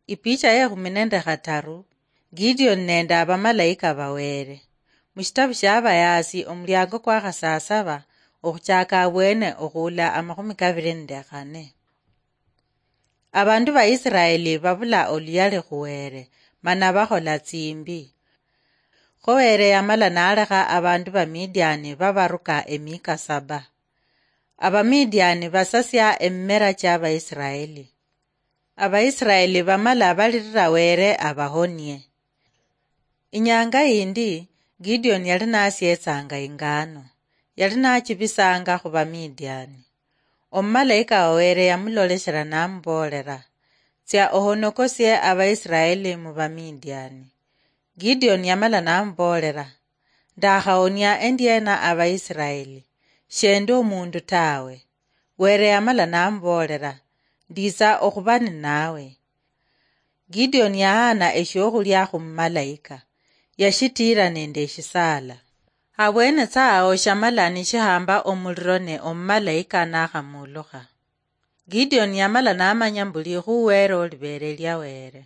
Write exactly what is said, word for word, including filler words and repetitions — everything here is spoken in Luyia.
Ipicha yekhumi nende khataru. Gideon nende abamalaika bawere. Mushitabu shia Abayaasi, omuliango kwa khasasaba, okhuchaka abwene okhuula amakhumi kabiri nende khane. Abandu ba Isiraeli babula oluyali khuwere, mana bakhola tsimbi. Kho Were yamala nalekha abandu ba Midiani babaruka emika saba. Abamidiani basasia emimera chia Abaisiraeli. Abaisiraeli bamala balirira Were abahonie. Inyanga yindi, Gideon yali nasietsanga ingano. Yali nachibisanga khu Bamidiani. Omumalaika wa Were yamuloleshera namuboolera, "Tsia ohonokosie Abaisiraeli mu Bamidiani." Gideon yamala namuboolera, "Ndakhaonia endiena Abaisiraeli? Shendi omundu tawe." Were yamala namuboolera, "Nditsa okhuba ninawe." Gideon yahaana eshiokhulia khumumalaika, yashitiira nende eshisaala. Habwene tsa ao shamala nishihamba omuliro ne omumalaika nakhamulukha. Gideon yamala namanya mbu likhuwere olibeere lia Were.